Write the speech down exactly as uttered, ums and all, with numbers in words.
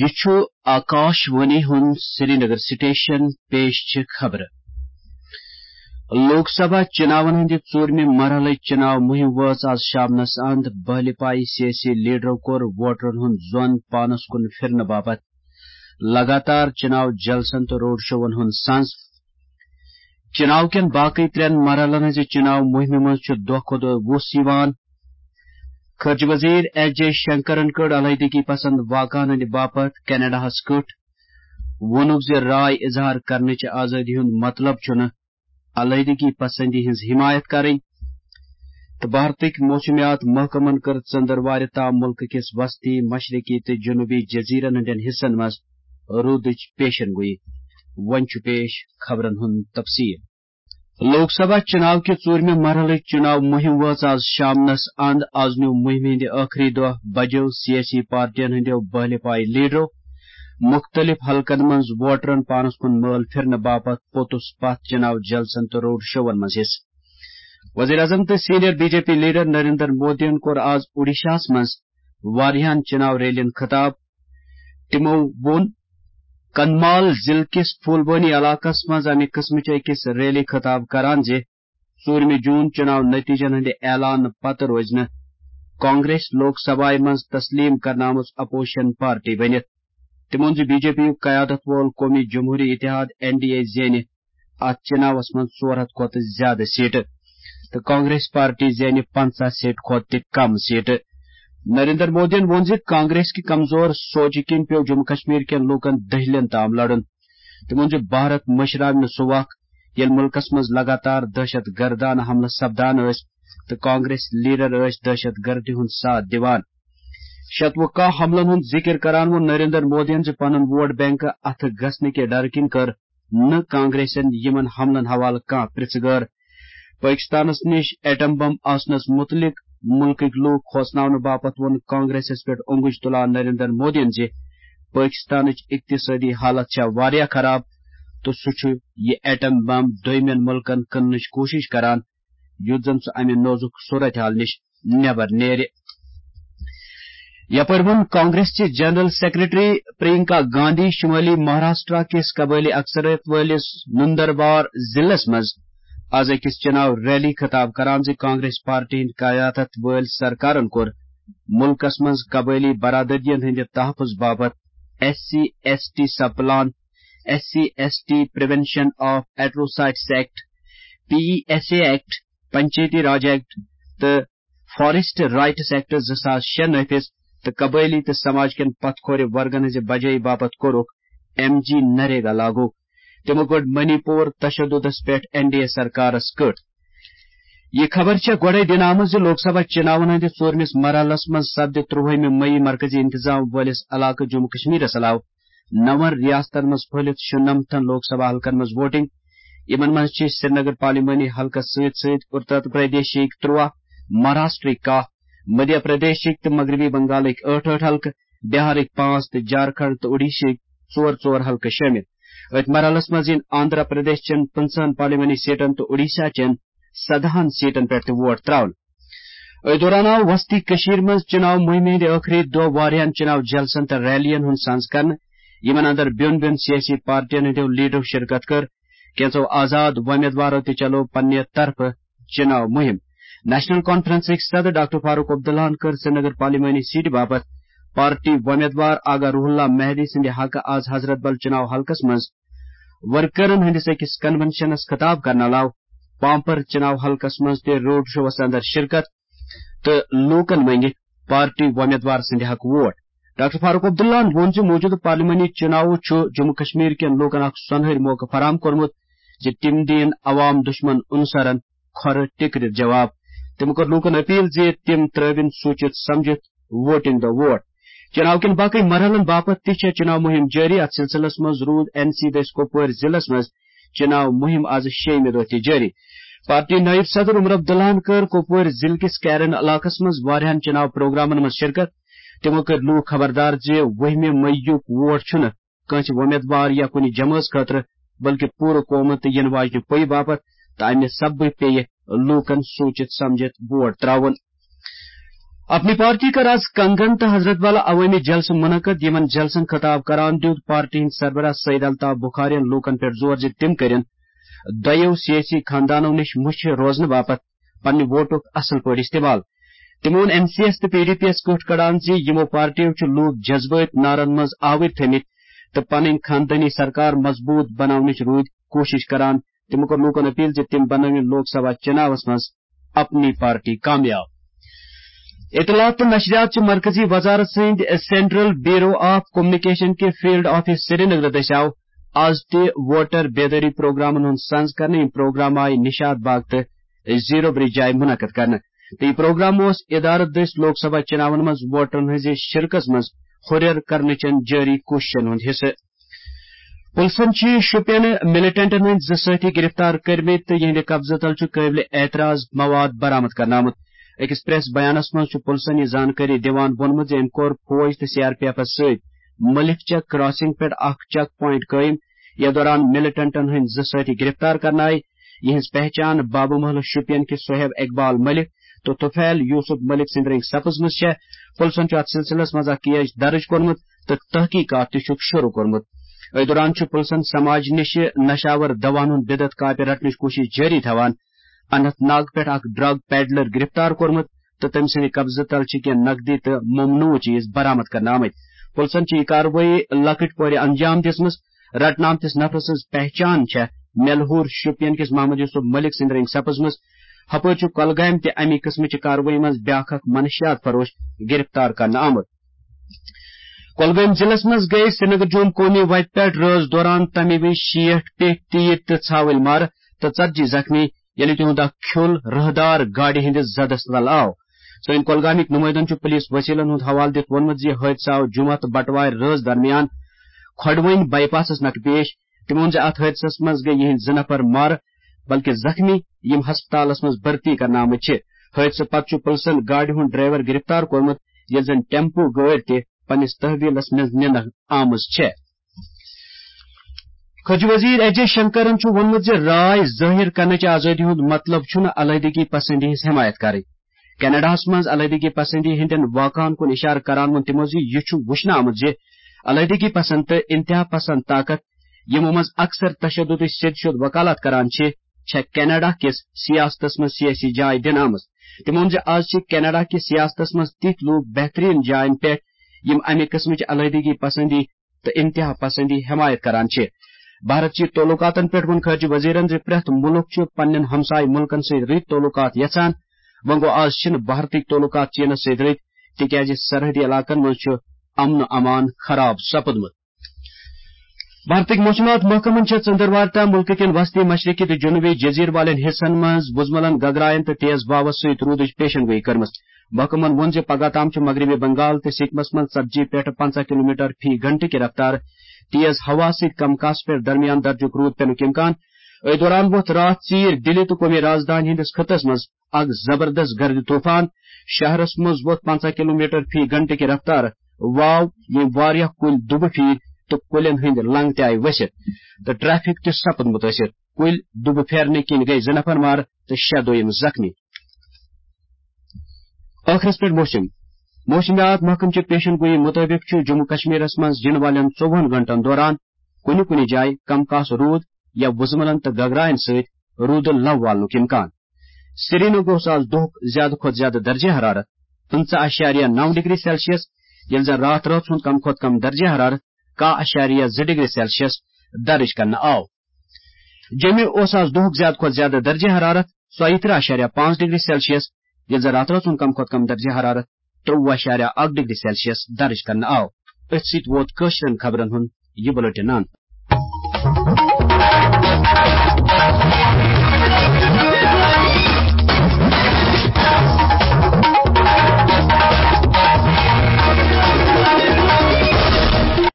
یہِ چھُ آکاش وانی ہُنٛد سرینگر سٹیشن۔ پیش چھِ خبرٕ۔ لوک سبھا چُناون ہٕنٛدِ ژوٗرمہِ مرحلٕچ چُناو مُہِم وٲژ آز شامنس اند۔ بہلہِ پایہِ سیٲسی لیڈرو کوٚر ووٹرن ہُنٛد ظۄن پانس کُن پھِرنہٕ باپتھ لگاتار چُناو جلسن تہٕ روڈ شوون ہُنٛد سنز۔ چُناو کٮ۪ن باقٕے ترٛٮ۪ن مرحلن ہٕنٛزِ چُناو مُہِمہِ منٛز چھُ دۄہ کھۄتہٕ دۄہ وُس یِوان۔ خارجہ وزیر ایس جے شنکرن کٔر علیحدگی پسند واقعن ہٕنٛدِ باپتھ کینیڈاہس کٔٹھ۔ ووٚنُکھ زِ راے اظہار کرنٕچ آزٲدی ہُنٛد مطلب چھُنہٕ علیحدگی پسندی ہٕنٛز حمایت کرٕنۍ تہٕ بھارتٕکۍ موسمیات محکمن کٔر ژٔنٛدٕروارِ تام مُلکہٕ کِس وسطی، مشرقی تہٕ جنوبی جزیرن ہٕنٛدٮ۪ن حصن منٛز روٗدٕچ پیشن گویی۔ وۄنۍ چھُ پیش خبرن ہُنٛد تفصیل۔ لوک سبھا چُناو کہِ ژوٗرمہِ مرحلٕچ چُناو مُہِم وٲژ آز شامنس اند۔ آز نیوٗ مُہِمہِ ہٕنٛدِ ٲخری دۄہ بجو سیٲسی پارٹین ہٕنٛدیو بہلہِ پایہِ لیڈرو مُختٔلِف حلقن منٛز ووٹرن پانس کُن مٲل پھِرنہٕ باپتھ پوٚتُس پتھ چُناو جلسن تہٕ روڈ شوون منٛز حصہٕ۔ وزیر اعظم تہٕ senior B J P leader Narendra مودیَن کوٚر آز اوڈیشاہَس منٛز واریاہَن چُناو ریلیَن خطاب۔ تِمَو ووٚن کنمال ضلعہٕ کِس پھولبٲنی علاقَس منٛز اَمہِ قٕسمٕچ أکِس ریلی خطاب کران زِ ژوٗرمہِ جوٗن چُناو نتیجن ہٕنٛدِ اعلان پتہٕ روزِ نہٕ کانگریس لوک سبھایہِ منٛز تسلیٖم کرنہٕ آمٕژ اپوزیشن پارٹی بٔنِتھ۔ تِمَو ووٚن زِ بی جے پی یُک قیادت وول قومی جمہوری اتحاد، این ڈی اے، زینہِ اتھ چُناوس منٛز ژور ہتھ کھۄتہٕ زیادٕ سیٹہٕ تہٕ کانگریس پارٹی زینہِ پنژاہ سیٹہٕ کھۄتہٕ تہِ کم سیٹہٕ۔ نریندر مودیَن ووٚن زِ کانگریس کہِ کمزور سوچہِ کِنۍ پیوٚو جموں کشمیر کٮ۪ن لوٗکن دٔہلٮ۪ن تام لڑُن۔ تِمَو ووٚن زِ بھارت مٔشراوِ نہٕ سُہ وق، ییٚلہِ مُلکَس منٛز لگاتار دہشت گردانہٕ حملہٕ سپدان ٲسۍ تہٕ کانگریس لیڈر ٲسۍ دہشت گردی ہُنٛد ساتھ دِوان۔ شتوُہ کاہ حملن ہُنٛد ذِکِر کران ووٚن نریندر مودیَن زِ پنُن ووٹ بینک اَتھٕ گژھنہٕ کہِ ڈرٕ کِنۍ کٔر نہٕ کانگریسن یِمن حملن حوالہٕ کانٛہہ پرژھ گٲر۔ پٲکِستانس نِش ایٹم بم آسنس مُتعلق مُلکٕکۍ لوٗکھ کھوژناونہٕ باپتھ ووٚن کانگریسس پٮ۪ٹھ اونگُج تُلان نریندر مودیَن زِ پٲکِستانٕچ اقتصٲدی حالت چھےٚ واریاہ خراب تہٕ سُہ چھُ یہِ ایٹم بم دوٚیمٮ۪ن مُلکن کٕننٕچ کوٗشِش کران، یُتھ زن سُہ امہِ نوزُک صورتحال نِش نٮ۪بر نیرِ۔ یپٲرۍ ووٚن کانگریس چہِ جنرل سیکرٹری پرینکا گاندھی شمٲلی مہاراشٹرا کِس قبٲئلی اکثریت وٲلِس نندروار ضلعس منٛز آز أکِس چُناو ریلی خطاب کران زِ کانگریس پارٹی ہٕنٛدۍ قیادت وٲلۍ سرکارن کوٚر مُلکس منٛز قبٲئلی برادریَن ہٕنٛدِ تحفظ باپتھ S C S T sub plan, S C S T prevention of atrocities act, P E S A act, Panchayati Raj act تہٕ فاریسٹ رائٹس ایکٹ زٕ ساس شےٚ نافذ تہٕ قبٲئلی تہٕ سماج کٮ۪ن پتھ کھورِ ورگن ہٕنٛزِ بجٲیی باپتھ کوٚرُکھ ایم جی نریگا لاگو۔ تِمو کٔڈ منی پور تشددس پٮ۪ٹھ این ڈی اے سرکارس کٔٹ۔ یہِ خبر چھےٚ گۄڈَے دِنہٕ آمٕژ زِ لوک سبھا چُناون ہٕنٛدِس ژوٗرمِس مرحلس منٛز سپدِ ترٛوہٲیمہِ مئی مرکزی انتظام وٲلِس علاقہٕ جموں کشمیرس علاوٕ نَوَن ریاستن منٛز پھٔہلِتھ شُنَمتھن لوک سبھا حلقن منٛز ووٹنگ۔ یِمن منٛز چھِ سرینگر پارلیمانی حلقس سۭتۍ سۭتۍ اتر پردیشٕکۍ ترٛوہ، مہاراشٹرٕکۍ کاہ، مدھیہ پردیشٕکۍ تہٕ مغربی بنگالٕکۍ ٲٹھ ٲٹھ حلقہٕ، بہارٕکۍ پانٛژھ تہٕ جھارکھنڈ تہٕ اوڈیشہٕکۍ ژور ژور حلقہٕ شٲمِل۔ أتھۍ مرحلس منٛز یِن آندھرا پردیش چٮ۪ن پٕنٛژٕہن پارلیمانی سیٹن تہٕ اوڈیشہ چٮ۪ن سدہن سیٹن پٮ۪ٹھ تہِ ووٹ تراونہٕ۔ أتھۍ دوران آو وسطی کٔشیٖر منٛز چُناو مُہِمہِ ہٕنٛدِ ٲخری دۄہ واریاہن چُناو جلسن تہٕ ریلین ہُنٛد سنز کرنہٕ، یِمن اندر بیوٚن بیوٚن سیٲسی پارٹین ہٕنٛدیو لیڈرو شرکت کٔر۔ کینٛژو آزاد وۄمیدوارو تہِ چلٲو پننہِ طرفہٕ چُناو مُہِم۔ نیشنل کانفرنسٕکۍ صدر ڈاکٹر فاروق عبداللہن کٔر سرینگر پارلیمانی سیٹہِ باپتھ پارٹی وۄمیدوار آغا روح اللہ مہدی سٕنٛدِ حقہٕ آز حضرت بل چُناو حلقس منٛز ورکرن ہٕنٛدِس أکِس کنونشنس خطاب کرنہٕ علاوٕ پامپر چُناو حلقس منٛز تہِ روڈ شووس اندر شرکت تہٕ لوٗکن منٛگہِ پارٹی وۄمیدوار سٕنٛدِ حق ووٹ۔ ڈاکٹر فاروق عبداللہن ووٚن زِ موٗجوٗدٕ پارلیمانی چُناوو چھُ جموں کشمیر کٮ۪ن لوٗکن اکھ سۄنہٕرۍ موقعہٕ فراہم کوٚرمُت زِ تِم دِیِن عوام دُشمن عنصرن کھۄرٕ ٹِکرِتھ جواب۔ تٔمۍ کوٚر لوٗکن اپیل زِ تِم ترٲوِن سوٗنچِتھ سمجھِتھ ووٹنگ دۄہ ووٹ۔ چُناو کٮ۪ن باقٕے مرحلن باپتھ تہِ چھےٚ چُناو مُہِم جٲری۔ اتھ سلسلس منٛز روٗد این سی دٔسۍ کۄپوٲرۍ ضلعس منٛز چُناو مُہِم آز شیٚیِمہِ دۄہ تہِ جٲری۔ پارٹی نٲیِب صدر عمر عبداللہن کٔر کۄپوٲرۍ ضلعہٕ کِس کیرن علاقس منٛز واریاہن چُناو پروگرامن منٛز شرکت۔ تِمو کٔرۍ لوٗکھ خبردار زِ وُہمہِ مئی یُک ووٹ چھُنہٕ کٲنٛسہِ وۄمیدوار یا کُنہِ جمٲژ خٲطرٕ، بلکہِ پوٗرٕ قومہٕ تہٕ یِنہٕ واجنہِ پُیہِ باپتھ، تہٕ امہِ سببہٕ پیٚیہِ لوٗکن سوٗنچِتھ سمجھِتھ ووٹ ترٛاوُن۔ اپنی پارٹی کٔر آز کنگن تہٕ حضرت والا عوٲمی جلسہٕ منعقد۔ یِمن جلسن خطاب کران دیُت پارٹی ہٕنٛدۍ سربراہ سید الطاف بخارین لوٗکن پٮ۪ٹھ زور زِ تِم کٔرِن دۄیو سیٲسی خاندانو نِش مُچھِ روزنہٕ باپتھ پننہِ ووٹُک اصل پٲٹھۍ استعمال۔ تِمو ووٚن این سی ایس تہٕ پی ڈی پی یَس کیُتھ کڑان زِ یِمو پارٹیو چھِ لوٗکھ جذبٲتۍ نارن منٛز آوٕرۍ تھٲمٕتۍ تہٕ پنٕنۍ خاندٲنی سرکار مضبوٗط بناونٕچ روٗدۍ کوٗشش کران۔ تِمو کٔر لوٗکن اپیل زِ تِم بنٲوِن لوک سبھا چناوس منٛز اپنی پارٹی کامیاب۔ اطلاعات تہٕ نشریات چہِ مرکزی وزارت سٕنٛدِ سینٹرل بیورو آف کمیونیکیشن کہِ فیلڈ آفس سرینگر دٔسۍ آو آز تہِ ووٹر بیدٲری پروگرامن ہُنٛد سنز کرنہٕ۔ یِم پروگرام آیہِ نشاط باغ تہٕ زیرو برج جایہِ منعقد کرنہٕ۔ تہٕ یہِ پروگرام اوس ادارٕ دٔسۍ لوک سبھا چناون منٛز ووٹرن ہٕنٛزِ شرکژ منٛز ہُرٮ۪ر کرنہٕ چٮ۪ن جٲری کوٗششن ہُنٛد حصہٕ۔ پُلسن چھِ شُپین مِلٹنٹن ہٕنٛدۍ زٕ سٲتھی گِرفتار کٔرمٕتۍ تہٕ یِہنٛدِ قبضہٕ تل چھُ قٲبلِ اعتراض مواد برآمد کرنہٕ آمُت۔ أکِس پریس بیانس منٛز چھُ پُلسن یہِ زانکٲری دِوان ووٚنمُت زِ أمۍ کوٚر فوج تہٕ سی آر پی ایفس سۭتۍ ملک چک کراسنگ پٮ۪ٹھ اکھ چیک پوینٹ قٲیِم، یتھ دوران مِلٹنٹن ہٕنٛدۍ زٕ سٲتھی گِرفتار کرنہٕ آیہِ۔ یِہنٛز پہچان بابہٕ محلہٕ شُپین کِس صہیب اقبال ملک تہٕ طفیل یوسف ملک سٕنٛدۍ رٔنٛگۍ سپٕزمٕژ چھےٚ۔ پُلسن چھُ اتھ سلسلس منٛز اکھ کیس درٕج کوٚرمُت تہٕ تحقیقات تہِ چھُکھ شروع کوٚرمُت۔ أتھۍ دوران چھُ پُلسن سماج نِش نشاور دواہن ہُنٛد بدعت کاپہِ رٹنٕچ کوٗشش جٲری تھاوان۔ اننت ناگ پٮ۪ٹھ اکھ ڈرگ پیڈلر گرفتار کوٚرمُت تہٕ تٔمۍ سٕنٛدِ قبضہٕ تل چھِ کینٛہہ نقدی تہٕ ممنوع چیز برآمد کرنہٕ آمٕتۍ۔ پُلسن چھِ یہِ کاروٲیی لۄکٕٹۍ پورِ انجام دِژمٕژ۔ رٹنہٕ آمتِس نفرٕ سٕنٛز پہچان چھےٚ میلہور شُپین کِس محمد یوسف ملک سٕنٛدِ رٔنٛگۍ سپٕزمٕژ۔ ہپٲرۍ چھُ کۄلگامہِ تہِ اَمی قٕسمٕچہِ کاروٲیی منٛز بیٛاکھ اکھ منشیات فروش گرفتار کرنہٕ آمُت۔ کۄلگٲمۍ ضلعس منٛز گٔے سرینگر جوم قومی وتہِ پٮ۪ٹھ رٲژ دوران تَمہِ وِزِ شیٹھ پیٹھۍ تیٖر تہٕ ژھاوٕلۍ مارٕ تہٕ ژتجی زخمی، ییٚلہِ تِہُنٛد اکھ کھیوٚل رٲہدار گاڑِ ہٕنٛدِس زدس تل آو۔ سٲنۍ کۄلگامٕکۍ نُمٲیدن چھُ پُلیٖس وسیٖلن ہُنٛد حوالہٕ دِتھ ووٚنمُت زِ حٲدثہٕ آو جمعہ تہٕ بٹوارِ رٲژ درمیان کھۄڈوٕنۍ بائی پاسس نکھٕ پیش۔ تِمو ووٚن زِ اتھ حٲدثس منٛز گٔے یِہنٛدۍ زٕ نفر مارٕ، بلکہِ زخمی، یِم ہسپتالس منٛز بھرتی کرنہٕ آمٕتۍ چھِ۔ حٲدثہٕ پتہٕ چھُ پُلسن گاڑِ ہُنٛد ڈرائیور گرفتار کوٚرمُت، ییٚلہِ زن ٹیمپو گٲڑۍ تہِ پننِس تحویلس منٛز نِنہٕ آمٕژ چھےٚ۔ خارجہ وزیر ایس جے شنکرن چھُ ووٚنمُت زِ راے ظٲہِر کرنٕچ آزٲدی ہُنٛد مطلب چھُنہٕ علیحدگی پسندی ہٕنٛز حمایت کرٕنۍ۔ کینیڈاہس منٛز علیحدگی پسندی ہٕنٛدٮ۪ن واقعن کُن اشارٕ کران ووٚن تِمو زِ یہِ چھُ وُچھنہٕ آمُت زِ علیحدگی پسند تہٕ انتہا پسند طاقت، یِمو منٛز اکثر تشددٕچ سیٚدِ سیوٚد وکالت کران چھِ، چھےٚ کینیڈا کِس سیاستس منٛز سیٲسی جاے دِنہٕ آمٕژ۔ تِمو ووٚن زِ آز چھِ کینیڈا کِس سیاستس منٛز تِتھۍ لوٗکھ بہتریٖن جاین پٮ۪ٹھ، یِم امہِ قٕسمٕچ علیحدگی پسندی تہٕ انتہا پسندی حمایت کران چھِ۔ بھارت چی تعلقاتن پٮ۪ٹھ ووٚن خارجہ وزیرن زِ پرٛٮ۪تھ مُلک چھُ پننٮ۪ن ہمسایہِ مُلکن سۭتۍ رٕتۍ تعلقات یژھان۔ وۄنۍ گوٚو، آز چھِنہٕ بھارتٕکۍ تعلقات چینس سۭتۍ رٕتۍ، تِکیازِ سرحدی علاقن منٛز چھُ امن و امان خراب سپُدمُت۔ بھارتٕکۍ موسمیات محکمن چھےٚ ژٔنٛدٕروارِ تام مُلکہٕ کٮ۪ن وسطی مشرقی تہٕ جنوبی جزیرٕ والٮ۪ن حصن منٛز وُزملن، گگراین تہٕ تیز واوس سۭتۍ روٗدٕچ پیشن گویی کٔرمٕژ۔ محکمن ووٚن زِ پگاہ تام چھُ مغربی بنگال تہٕ سکمس منٛز ژتجی پٮ۪ٹھ پنٛژاہ کلومیٹر فی گھنٹہٕ کہِ رفتار تیز ہوا سۭتۍ کم کاسہٕ پٮ۪ٹھ درمیان درجُک روٗد پینُک امکان۔ أتھۍ دوران ووٚتھ راتھ ژیٖرۍ دِلہِ تہٕ قومی رازدانہِ ہٕنٛدِس خطس منٛز اکھ زبردست گردِ طوفان۔ شہرس منٛز ووٚتھ پنٛژاہ کلومیٹر فی گھنٹہٕ کہِ رفتار واو، ییٚمۍ واریاہ کُلۍ دُبہٕ پھیٖرۍ تہٕ کُلٮ۪ن ہٕنٛدۍ لنگ تہِ آیہِ ؤسِتھ تہٕ ٹریفک تہِ سپُد مُتٲثِر۔ کُلۍ دُبہٕ پھیرنہٕ کِنۍ گٔے زٕ نفر مارٕ تہٕ شےٚ دوٚیِم زخمی۔ ٲخرس پٮ۪ٹھ موسم۔ موسمیات محکمہٕ چہِ پیشن گویی مُطٲبِق چھُ جموں کشمیرس منٛز یِنہٕ والٮ۪ن ژوٚوُہن گھنٹن دوران کُنہِ کُنہِ جایہِ کم کاسہٕ روٗد یا وُزملن تہٕ گگراین سۭتۍ روٗدٕ لو والنُک امکان۔ سرینگر اوس آز دۄہُک زیادٕ کھۄتہٕ زیادٕ درجہ حرارت پٕنٛژٕہ اَشاریہ نَو ڈگری سیلسیس، ییٚلہِ زن راتھ رٲژ ہُنٛد کم کھۄتہٕ کم درجہ حرارت کاہ اَشاریہ زٕ ڈگری سیلسیس درج کرنہٕ آو۔ جوٚمہِ اوس آز دۄہُک زیادٕ کھۄتہٕ زیادٕ درجہ حرارت ژۄیہِ ترٕٛہ اَشاریہ پانٛژھ ڈگری سیلسیس، ییٚلہِ زن راتھ رٲژ ہُنٛد کم کھۄتہٕ کم درجہ حرارت ترٛۆوُہ اَشاریہ اَکھ ڈگری سیلسیس درج کرنہٕ آو۔ أتھۍ سۭتۍ ووت کٲشرٮ۪ن خبرن ہُنٛد یہِ بُلٹن اند۔